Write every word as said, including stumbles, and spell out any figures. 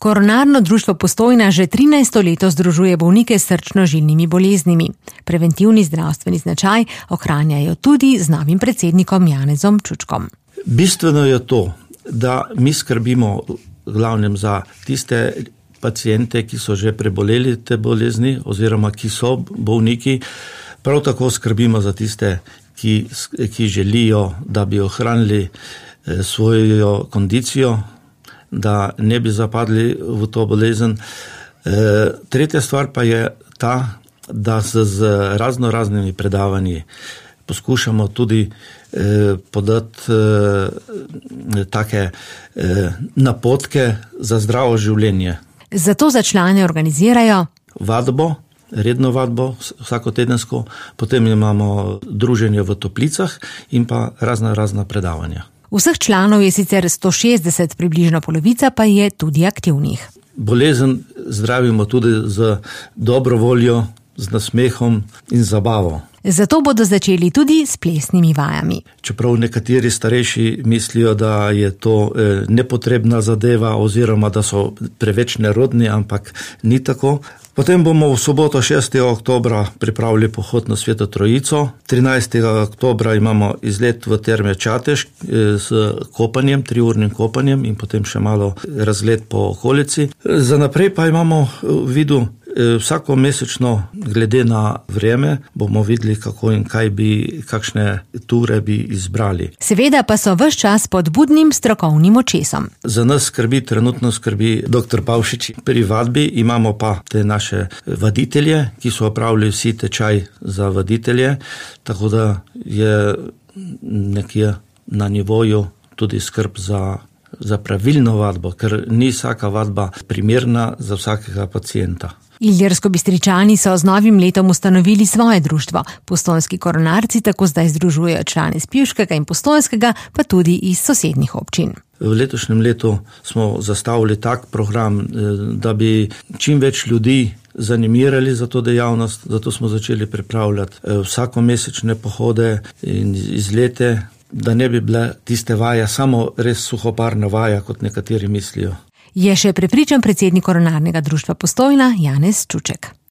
Koronarno društvo Postojna že trinajsto leto združuje bolnike s srčno-žilnimi boleznimi. Preventivni zdravstveni značaj ohranjajo tudi z novim predsednikom Janezom Čučkom. Bistveno je to, da mi skrbimo glavnem za tiste pacijente, ki so že preboleli te bolezni oziroma ki so bolniki. Prav tako skrbimo za tiste, ki, ki želijo, da bi ohranili svojo kondicijo, da ne bi zapadli v to bolezen. E, tretja stvar pa je ta, da se z razno raznimi predavanji poskušamo tudi eh, podati eh, take eh, napotke za zdravo življenje. Zato za člane organizirajo vadbo, redno vadbo, vsakotedensko, potem imamo druženje v toplicah in pa razna razna predavanja. Vseh članov je sicer sto šestdeset, približno polovica pa je tudi aktivnih. Bolezen zdravimo tudi z dobro voljo, z nasmehom in zabavo. Zato bodo začeli tudi s plesnimi vajami. Čeprav nekateri starejši mislijo, da je to nepotrebna zadeva oziroma da so preveč nerodni, ampak ni tako. Potem bomo v soboto šestega oktobra pripravili pohod na Sveto Trojico. trinajstega oktobra imamo izlet v Terme Čatež s kopanjem, triurnim kopanjem in potem še malo razgled po okolici. Za naprej pa imamo v vidu vsako mesečno, glede na vreme, bomo videli, kako in kaj bi, kakšne ture bi izbrali. Seveda pa so ves čas pod budnim strokovnim očesom. Za nas skrbi, trenutno skrbi doktor Pavšič. Pri vadbi imamo pa te naše vaditelje, ki so opravili vsi tečaj za vaditelje, tako da je nekje na nivoju tudi skrb za, za pravilno vadbo, ker ni vsaka vadba primerna za vsakega pacienta. Ilirsko-Bistričani so z novim letom ustanovili svoje društvo. Postojnski koronarci tako zdaj združujejo člane iz Pivškega in Postojnskega, pa tudi iz sosednjih občin. V letošnjem letu smo zastavili tak program, da bi čim več ljudi zanimirali za to dejavnost, zato smo začeli pripravljati vsakomesečne pohode in izlete, da ne bi bile tiste vaje samo res suhoparna vaja, kot nekateri mislijo. Je še prepričan predsednik Koronarnega društva Postojna Janez Čuček.